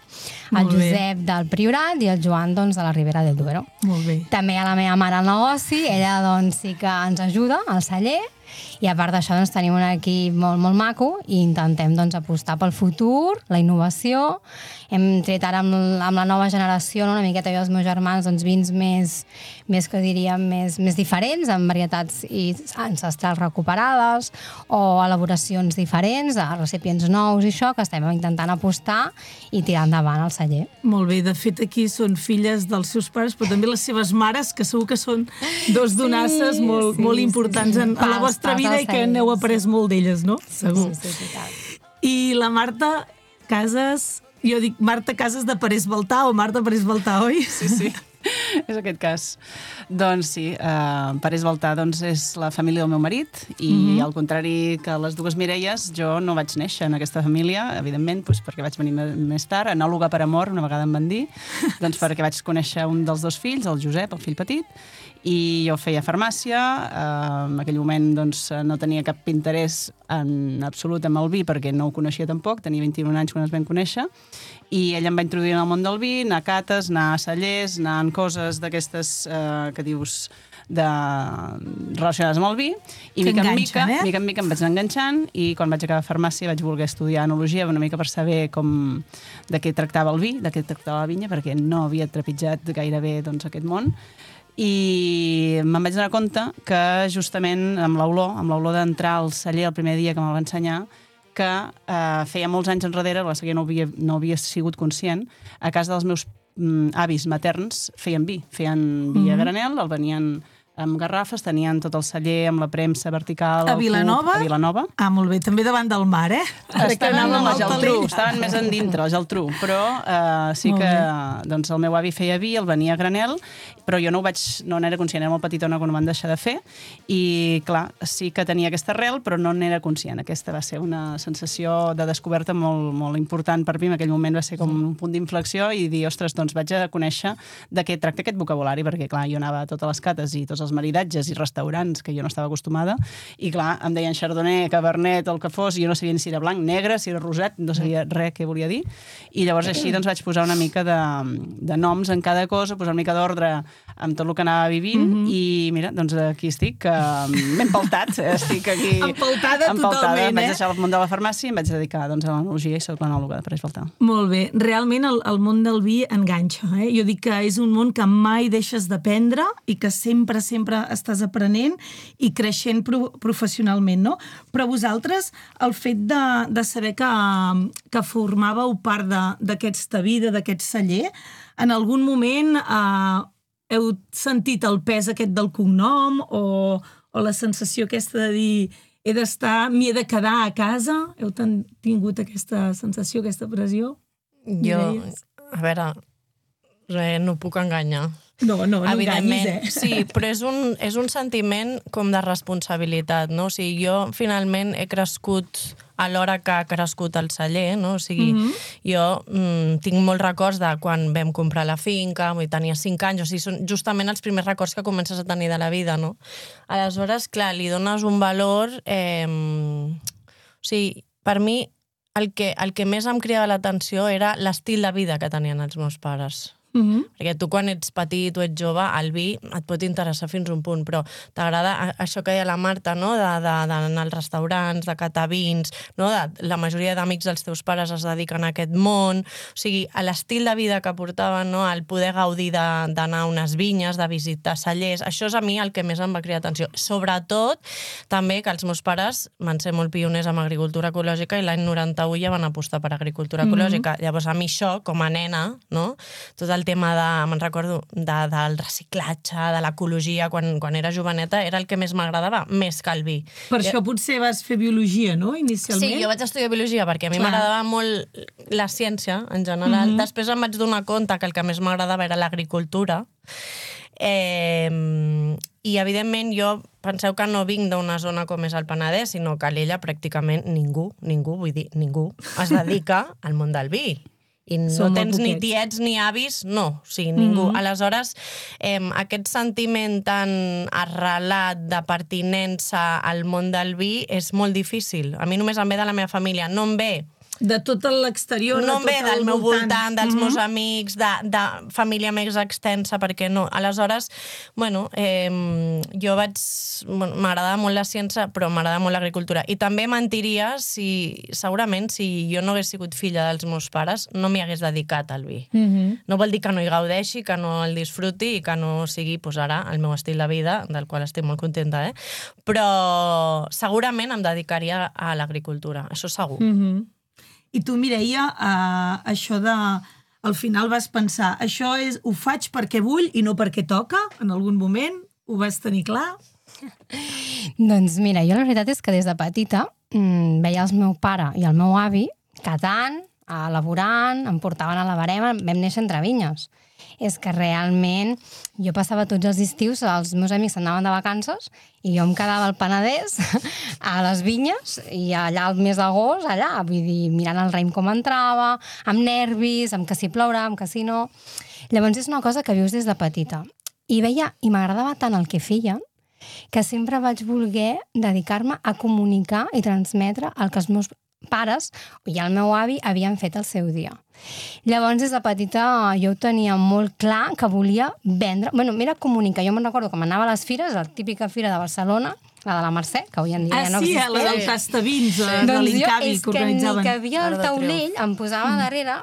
el Josep del Priorat i el Joan de la Ribera del Duero. Molt bé. També hi ha la meva mare al negoci, ella sí que ens ajuda al celler, i a part d'això tenim un equip molt, molt maco i intentem apostar pel futur, la innovació. Hem tret ara amb la nova generació, una miqueta jo i els meus germans, vins més que diríem més diferents, amb varietats ancestrals recuperades o elaboracions diferents, recipients nous i això, que estem intentant apostar i tirar endavant al celler. Molt bé, de fet aquí són filles dels seus pares, però també les seves mares, que segur que són 2 donasses molt importants en la vostra vida i que n'heu après molt d'elles, no? Segur. Sí, I la Marta Casas, jo dic Marta Casas de Parés Baltà o Marta Parés Baltà, oi? Sí. És aquest cas. Doncs sí, Parés Baltà és la família del meu marit i al contrari que les 2 Mireies, jo no vaig néixer en aquesta família, evidentment, perquè vaig venir més tard, enòloga per amor, una vegada em van dir, perquè vaig conèixer un dels 2 fills, el Josep, el fill petit, i jo feia farmàcia. En aquell moment no tenia cap interès en absolut amb el vi perquè no ho coneixia tampoc, tenia 21 anys quan ens vam conèixer, I ell em va introduir en el món del vi, anar a cates, anar a cellers, anar en coses d'aquestes que dius relacionades amb el vi, i mica en mica em vaig anar enganxant, i quan vaig acabar farmàcia vaig voler estudiar enologia una mica per saber de què tractava el vi, de què tractava la vinya, perquè no havia trepitjat gairebé aquest món. I me'n vaig donar compte que justament amb l'olor d'entrar al celler el primer dia que me'l va ensenyar, que feia molts anys enrere, que no havia sigut conscient, a casa dels meus avis materns feien vi a granel, el venien amb garrafes, tenien tot el celler amb la premsa vertical a Vilanova? A Vilanova. Ah, molt bé, també davant del mar, eh? Estaven a la Geltrú, estaven més endintre, la Geltrú, però sí que el meu avi feia vi, el venia a granel, però jo no n'era conscient, era molt petitona quan ho van deixar de fer, i clar, sí que tenia aquesta arrel, però no n'era conscient. Aquesta va ser una sensació de descoberta molt, molt important per mi, en aquell moment va ser com un punt d'inflexió i dir, ostres, doncs vaig a conèixer de què tracta aquest vocabulari, perquè clar, jo anava a totes les cates i tots els maridatges i restaurants que jo no estava acostumada, i clar, em deien Chardonnay, Cabernet, el que fos, i jo no sabia si era blanc, negre, si era rosat, no sabia res què volia dir, i llavors així vaig posar una mica de noms en cada cosa, posar una mica d'ordre amb tot el que anava vivint, i mira, doncs aquí estic, m'he empaltat, estic aquí... Empaltada totalment, vaig deixar el món de la farmàcia i em vaig dedicar a l'enologia i soc l'enòloga de Parés Baltà. Molt bé, realment el món del vi enganxa, eh? Jo dic que és un món que mai deixes d'aprendre i que sempre estàs aprenent i creixent professionalment, no? Però vosaltres, el fet de saber que formàveu part d'aquesta vida, d'aquest celler, en algun moment heu sentit el pes aquest del cognom o la sensació aquesta de dir m'hi he de quedar a casa? Heu tingut aquesta sensació, aquesta pressió? Jo, a veure, no puc enganyar. No enganyis, eh? Sí, però és un sentiment com de responsabilitat, no? O sigui, jo finalment he crescut a l'hora que ha crescut el celler, no? O sigui, jo tinc molts records de quan vam comprar la finca, tenia 5 anys, o sigui, són justament els primers records que comences a tenir de la vida, no? Aleshores, clar, li dones un valor... O sigui, per mi, el que més em cridava l'atenció era l'estil de vida que tenien els meus pares. Perquè tu quan ets petit o ets jove, el vi et pot interessar fins a un punt, però t'agrada això que deia la Marta, no? D'anar als restaurants, de catar vins, no? La majoria d'amics dels teus pares es dediquen a aquest món, o sigui, l'estil de vida que portaven, no? El poder gaudir d'anar a unes vinyes, de visitar cellers, això és a mi el que més em va cridar atenció. Sobretot, també que els meus pares van ser molt pioners amb agricultura ecològica i l'any 91 ja van apostar per agricultura ecològica. Llavors, a mi això, com a nena, no? Tot el tema me'n recordo, del reciclatge, de l'ecologia, quan era joveneta, era el que més m'agradava, més que el vi. Per això potser vas fer biologia, no?, inicialment? Sí, jo vaig estudiar biologia perquè a mi m'agradava molt la ciència, en general. Després em vaig donar compte que el que més m'agradava era l'agricultura. I, evidentment, jo penseu que no vinc d'una zona com és el Penedès, sinó que a l'Ella pràcticament ningú es dedica al món del vi. I no tens ni tiets ni avis, no, o sigui, ningú. Aleshores, aquest sentiment tan arrelat de pertinença al món del vi és molt difícil. A mi només em ve de la meva família, no em ve de tot l'exterior, no em ve del meu voltant, dels meus amics, de família més extensa, perquè no. Aleshores, bueno, jo m'agradava molt la ciència, però m'agradava molt l'agricultura. I també mentiria segurament, si jo no hagués sigut filla dels meus pares, no m'hi hagués dedicat al vi. No vol dir que no hi gaudeixi, que no el disfruti i que no sigui, ara, el meu estil de vida, del qual estic molt contenta, però segurament em dedicaria a l'agricultura, això segur. I tu, Mireia, això al final vas pensar, això ho faig perquè vull i no perquè toca, en algun moment? Ho vas tenir clar? Doncs mira, jo la veritat és que des de petita veia el meu pare i el meu avi catant, elaborant, em portaven a la barema, vam néixer entre vinyes. És que realment jo passava tots els estius, els meus amics anaven de vacances i jo em quedava al Penedès a les vinyes i allà al mes d'agost, allà, vull dir, mirant el raïm com entrava, amb nervis, amb que si plourà, amb que si no... Llavors és una cosa que vius des de petita. I veia, i m'agradava tant el que feien, que sempre vaig voler dedicar-me a comunicar i transmetre el que els meus pares i el meu avi havien fet el seu dia. Llavors, des de petita, jo ho tenia molt clar que volia vendre... Bueno, m'era comunicar. Jo me'n recordo que m'anava a les fires, la típica fira de Barcelona, la de la Mercè, que avui en dia ja no existeix. La del Tastavins, de l'Incavi, que organitzaven. Doncs jo, és que ni que havia el taulell, em posava darrere,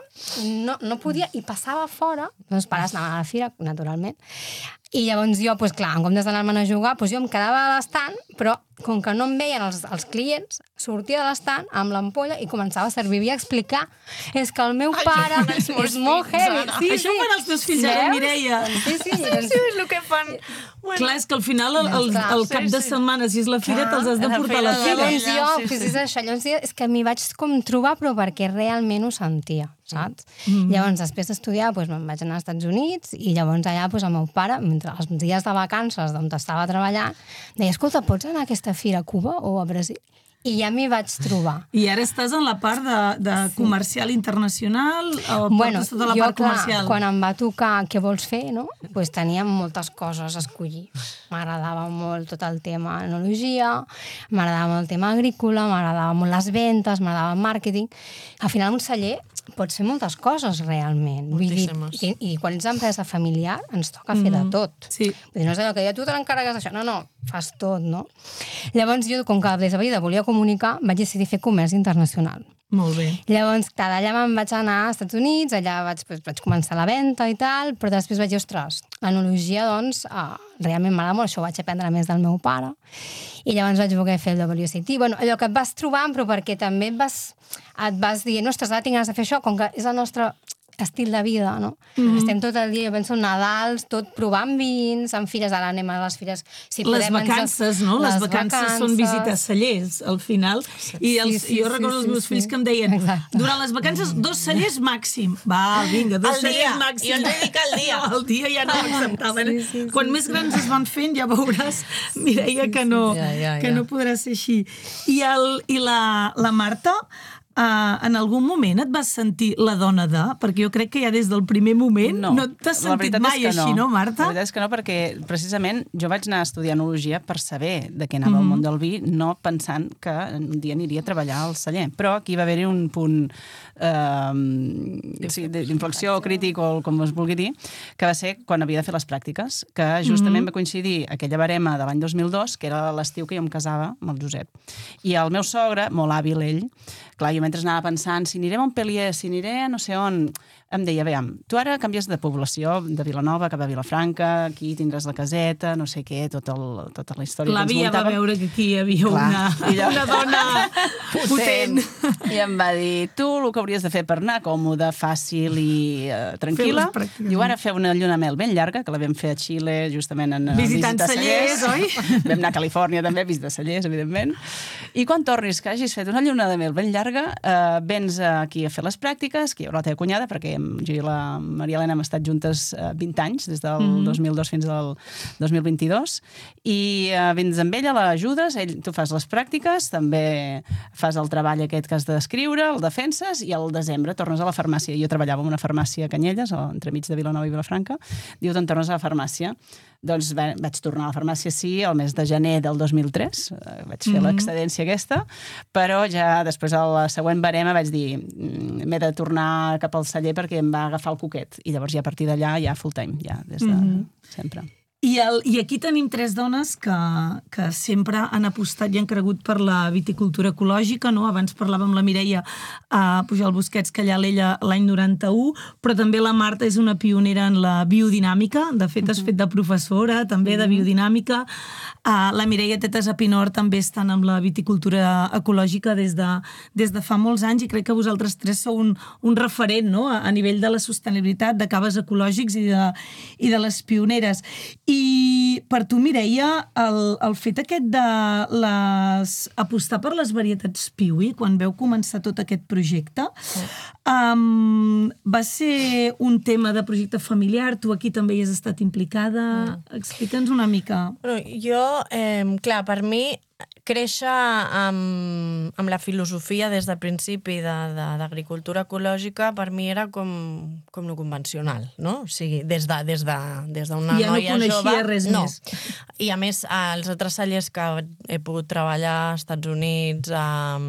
no podia, i passava fora. Els pares anaven a la fira, naturalment. I llavors jo, doncs clar, en comptes d'anar-me'n a jugar, doncs jo em quedava a l'estant, però com que no em veien els clients, sortia de l'estant amb l'ampolla i començava a servir i a explicar. És que el meu pare és molt heavy. Això fan els teus fills ara, Mireia. Sí, és el que fan. Clar, és que al final, el cap de setmana, si és la fira, te'ls has de portar a la fira. Llavors jo, és això, és que m'hi vaig com trobar, però perquè realment ho sentia, saps? Llavors, després d'estudiar, me'n vaig anar als Estats Units i llavors allà el meu pare, mentre els dies de vacances on estava treballant, deia, escolta, pots anar a aquesta fira a Cuba o a Brasil? I ja m'hi vaig trobar. I ara estàs en la part de comercial internacional o portes tota la part comercial? Quan em va tocar què vols fer, no? Doncs tenia moltes coses a escollir. M'agradava molt tot el tema enologia, m'agradava molt el tema agrícola, m'agradava molt les ventes, m'agradava el màrqueting. Al final, un celler pots fer moltes coses, realment. I quan ets empresa familiar, ens toca fer de tot. No és allò que tu te l'encarregues d'això. No, fas tot, no? Llavors, jo, com que des de vida volia comunicar, vaig decidir fer comerç internacional. Molt bé. Llavors, d'allà me'n vaig anar als Estats Units, allà vaig començar la venda i tal, però després vaig dir, ostres, l'enologia, doncs, realment m'agrada molt, això ho vaig aprendre més del meu pare, i llavors vaig voler fer el WSET. Bueno, allò que et vas trobant, però perquè també et vas dient, ostres, ara tinc ganes de fer això, com que és el nostre estil de vida, no? Estem tot el dia, jo penso, Nadals, tot provant vins, en fires, ara anem a les fires... Les vacances, no? Les vacances són visitar cellers, al final. I jo recordo els meus fills que em deien, durant les vacances, 2 cellers màxim. Va, vinga, 2 cellers màxim. I on dedica el dia. El dia ja no l'acceptaven. Quan més grans es van fent, ja veuràs, Mireia, que no podrà ser així. I la Marta... en algun moment et vas sentir la dona de... Perquè jo crec que ja des del primer moment no t'has sentit mai així, no, Marta? La veritat és que no, perquè precisament jo vaig anar a estudiar enologia per saber de què anava el món del vi, no pensant que un dia aniria a treballar al celler. Però aquí va haver-hi un punt d'inflexió crític o com es vulgui dir, que va ser quan havia de fer les pràctiques, que justament va coincidir aquella barema de l'any 2002, que era l'estiu que jo em casava amb el Josep. I el meu sogre, molt hàbil ell, clar, jo mentre anava pensant si aniré a Montpellier, si aniré a no sé on, em deia, veiem, tu ara canvies de població, de Vilanova cap a Vilafranca, aquí tindràs la caseta, no sé què, tota la història que ens muntàvem. L'àvia va veure que aquí hi havia una dona potent. I em va dir, tu el que hauries de fer per anar còmode, fàcil i tranquil·la, diu, ara feu una lluna de mel ben llarga, que la vam fer a Xile, justament en visitant cellers, oi? Vam anar a Califòrnia també, a visitar cellers, evidentment. I quan tornis, que hagis fet una lluna de mel ben llarga, vens aquí a fer les pràctiques, que hi haurà la teva cunyada, perquè jo i la Maria Elena hem estat juntes 20 anys, des del 2002 fins al 2022, i vens amb ella, l'ajudes, tu fas les pràctiques, també fas el treball aquest que has d'escriure, el defenses, i al desembre tornes a la farmàcia. Jo treballava en una farmàcia a Canyelles, entremig de Vilanova i Vilafranca, diu, te'n tornes a la farmàcia. Doncs vaig tornar a la farmàcia, sí, el mes de gener del 2003, vaig fer l'excedència aquesta, però ja després a la següent barema vaig dir, m'he de tornar cap al celler perquè em va agafar el coquet, i llavors ja a partir d'allà ja full time, ja des de sempre. I aquí tenim 3 dones que sempre han apostat i han cregut per la viticultura ecològica, no? Abans parlàvem amb la Mireia a Pujol Busquets, que allà l'ella l'any 91, però també la Marta és una pionera en la biodinàmica, de fet has fet de professora també de biodinàmica, la Mireia Tetes a Pinor també estan amb la viticultura ecològica des de fa molts anys, i crec que vosaltres 3 sou un referent, no? A nivell de la sostenibilitat, de caves ecològics i de les pioneres. I per tu, Mireia, el fet aquest de apostar per les varietats Piwi, quan veu començar tot aquest projecte, va ser un tema de projecte familiar, tu aquí també hi has estat implicada, explica'ns una mica. Jo, clar, per mi, créixer amb la filosofia des del principi d'agricultura ecològica per mi era com lo convencional, no? O sigui, des d'una noia jove... Ja no coneixia res més. I a més, els altres cellers que he pogut treballar als Estats Units, a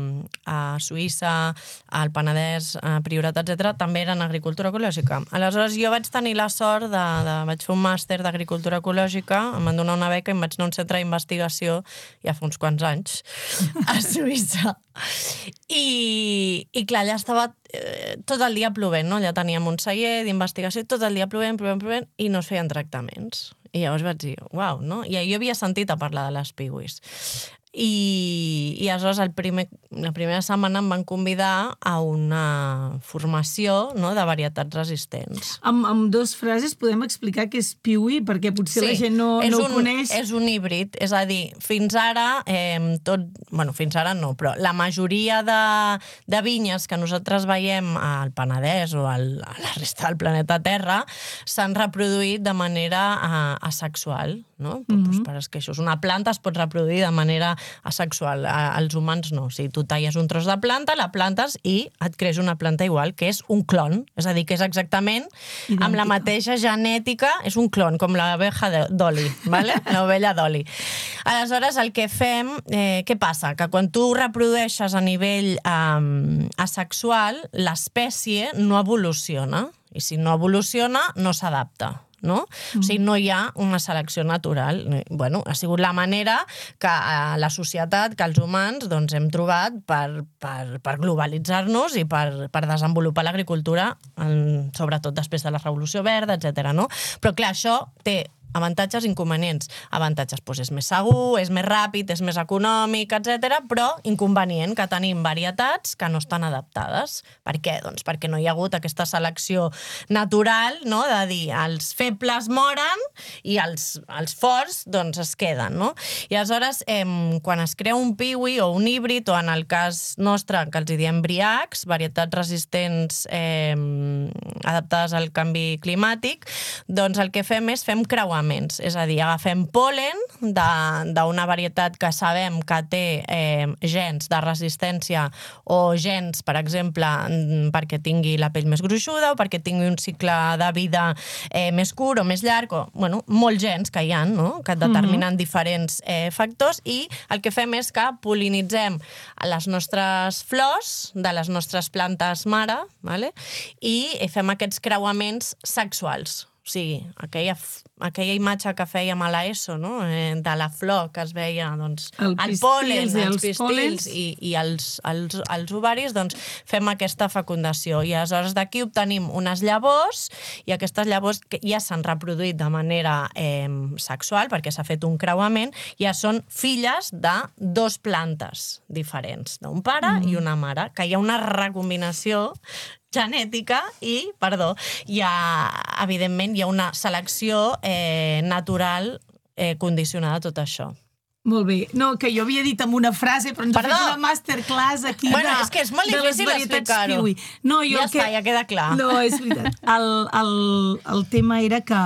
Suïssa, al Penedès, a Priorat, etc., també eren agricultura ecològica. Aleshores, jo vaig tenir la sort vaig fer un màster d'agricultura ecològica, em van donar una beca i em vaig anar a un centre d'investigació ja fa uns quants anys, a Suïssa. I clar, allà estava tot el dia plovent, no? Allà teníem un celler d'investigació, tot el dia plovent, i no es feien tractaments. I llavors vaig dir, uau, no? I jo havia sentit a parlar de les piwis. I aleshores la primera setmana em van convidar a una formació, no?, de varietats resistents. Amb dues frases podem explicar què és piwi, perquè potser la gent no ho coneix. És un híbrid, és a dir, fins ara, fins ara no, però la majoria de vinyes que nosaltres veiem al Penedès o a la resta del planeta Terra s'han reproduït de manera asexual, no? Per esqueixos. Una planta es pot reproduir de manera asexual. Els humans no. O sigui, tu talles un tros de planta, la plantes i et creix una planta igual, que és un clon. És a dir, que és exactament idèntica, amb la mateixa genètica, és un clon, com l'abeja d'oli, ¿vale? L'ovella d'oli. Aleshores, el que fem, què passa? Que quan tu reprodueixes a nivell asexual, l'espècie no evoluciona. I si no evoluciona, no s'adapta. No? O sigui, no hi ha una selecció natural. Bueno, ha sigut la manera que la societat, que els humans, doncs, hem trobat per globalitzar-nos i per desenvolupar l'agricultura, sobretot després de la Revolució Verda, etc. No? Però, clar, això té avantatges i inconvenients. Avantatges, doncs és més segur, és més ràpid, és més econòmic, etc. Però inconvenient que tenim varietats que no estan adaptades. Per què? Doncs perquè no hi ha hagut aquesta selecció natural, no?, de dir els febles moren i els forts doncs es queden, no? I aleshores, quan es crea un piwi o un híbrid, o en el cas nostre, que els diem briacs, varietats resistents adaptades al canvi climàtic, doncs el que fem és fem creuaments. És a dir, agafem pol·len d'una varietat que sabem que té gens de resistència o gens, per exemple, perquè tingui la pell més gruixuda o perquè tingui un cicle de vida més curt o més llarg, o, bueno, molts gens que hi ha, no?, que determinen diferents factors, i el que fem és que pol·linitzem les nostres flors de les nostres plantes mare, ¿vale?, i fem aquests creuaments sexuals. O sigui, aquella imatge que fèiem a l'ESO, no?, de la flor que es veia, doncs, el pol·len, els pistils i els ovaris, doncs fem aquesta fecundació. I aleshores d'aquí obtenim unes llavors, i aquestes llavors que ja s'han reproduït de manera sexual, perquè s'ha fet un creuament, ja són filles de dues plantes diferents, d'un pare i una mare, que hi ha una recombinació genètica i, evidentment, hi ha una selecció natural condicionada a tot això. Molt bé. No, que jo havia dit amb una frase, però ens ha fet una masterclass aquí és que és molt difícil explicar-ho. Ja queda clar. No, és veritat. El tema era que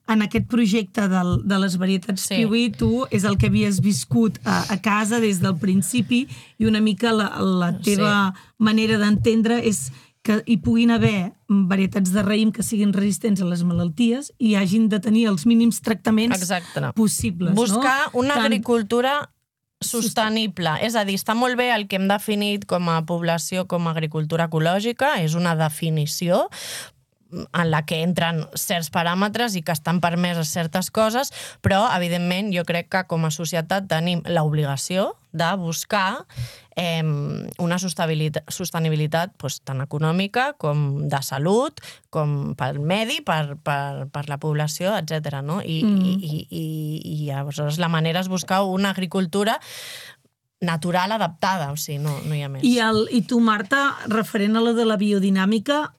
en aquest projecte de les varietats piwi, tu és el que havies viscut a casa des del principi, i una mica la teva manera d'entendre és que hi puguin haver varietats de raïm que siguin resistents a les malalties i hagin de tenir els mínims tractaments possibles. Buscar una agricultura sostenible. És a dir, està molt bé el que hem definit com a població com a agricultura ecològica, és una definició en la que entren certs paràmetres i que estan permeses certes coses, però, evidentment, jo crec que com a societat tenim l'obligació de buscar una sostenibilitat tant econòmica com de salut, com pel medi, per la població, etc. I aleshores la manera és buscar una agricultura natural adaptada, o sigui, no hi ha més. I tu, Marta, referent a la de la biodinàmica,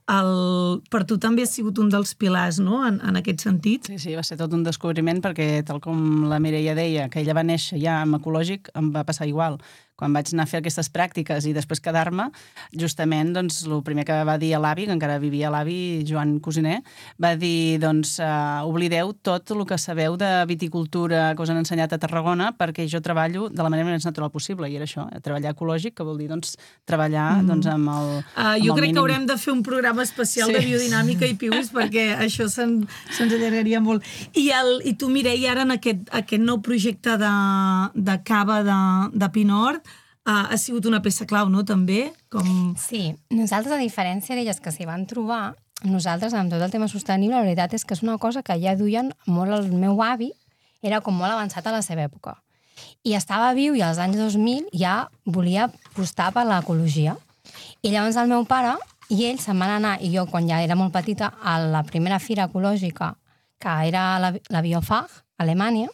per tu també ha sigut un dels pilars, no?, en aquest sentit? Sí, va ser tot un descobriment, perquè, tal com la Mireia deia, que ella va néixer ja amb ecològic, em va passar igual. quan vaig anar a fer aquestes pràctiques i després quedar-me, justament, doncs, el primer que va dir a l'avi, que encara vivia l'avi, Joan Cosiner, va dir, doncs, oblideu tot el que sabeu de viticultura que us han ensenyat a Tarragona, perquè jo treballo de la manera més natural possible, i era això, treballar ecològic, que vol dir, doncs, treballar doncs, amb el jo crec que haurem de fer un programa especial de biodinàmica i pius, perquè això se'ns allargaria molt. I tu, Mireia, ara en aquest nou projecte de cava de Pinort, ha sigut una peça clau, no?, també? Sí, nosaltres, a diferència d'elles que s'hi van trobar, nosaltres, amb tot el tema sostenible, la veritat és que és una cosa que ja duien molt el meu avi, era com molt avançat a la seva època. I estava viu i als anys 2000 ja volia apostar per l'ecologia. I llavors el meu pare i ell se'n van anar, i jo, quan ja era molt petita, a la primera fira ecològica, que era la Biofach, a Alemanya,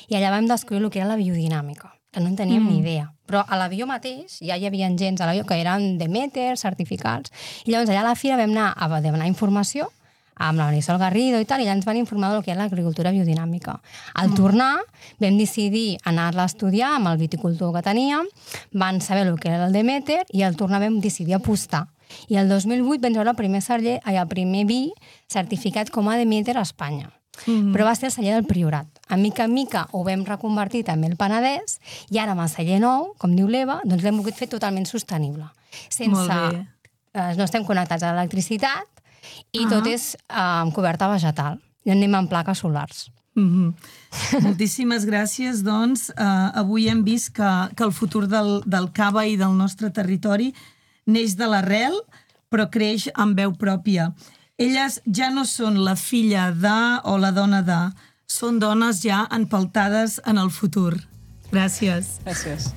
i allà vam descobrir el que era la biodinàmica, que no en teníem ni idea. Però a l'avió mateix ja hi havia gens a l'avió que eren Demeter, certificats, i llavors allà a la fira vam anar a demanar informació amb la Marisol Garrido i tal, i ja ens van informar del que era l'agricultura biodinàmica. Al tornar vam decidir anar-la a estudiar amb el viticultor que teníem, van saber el que era el Demeter, i al tornar vam decidir apostar. I el 2008 vam veure el primer vi certificat com a Demeter a Espanya. Però va ser el celler del Priorat. A mica en mica ho vam reconvertir també al Penedès, i ara amb el celler nou, com diu l'Eva, doncs l'hem volgut fer totalment sostenible. No estem connectats a l'electricitat i tot és amb coberta vegetal. I anem amb plaques solars. Moltíssimes gràcies, doncs. Avui hem vist que el futur del cava i del nostre territori neix de l'arrel, però creix amb veu pròpia. Elles ja no són la filla de o la dona de, són dones ja empeltades en el futur. Gràcies. Gràcies.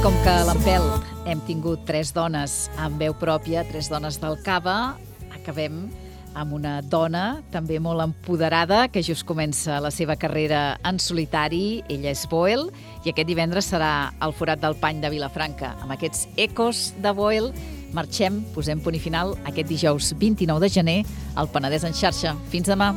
Com que a l'Empel hem tingut 3 dones amb veu pròpia, 3 dones del cava, acabem amb una dona també molt empoderada que just comença la seva carrera en solitari. Ella és Boel i aquest divendres serà al Forat del Pany de Vilafranca. Amb aquests ecos de Boel marxem, posem punt i final aquest dijous 29 de gener al Penedès en xarxa. Fins demà.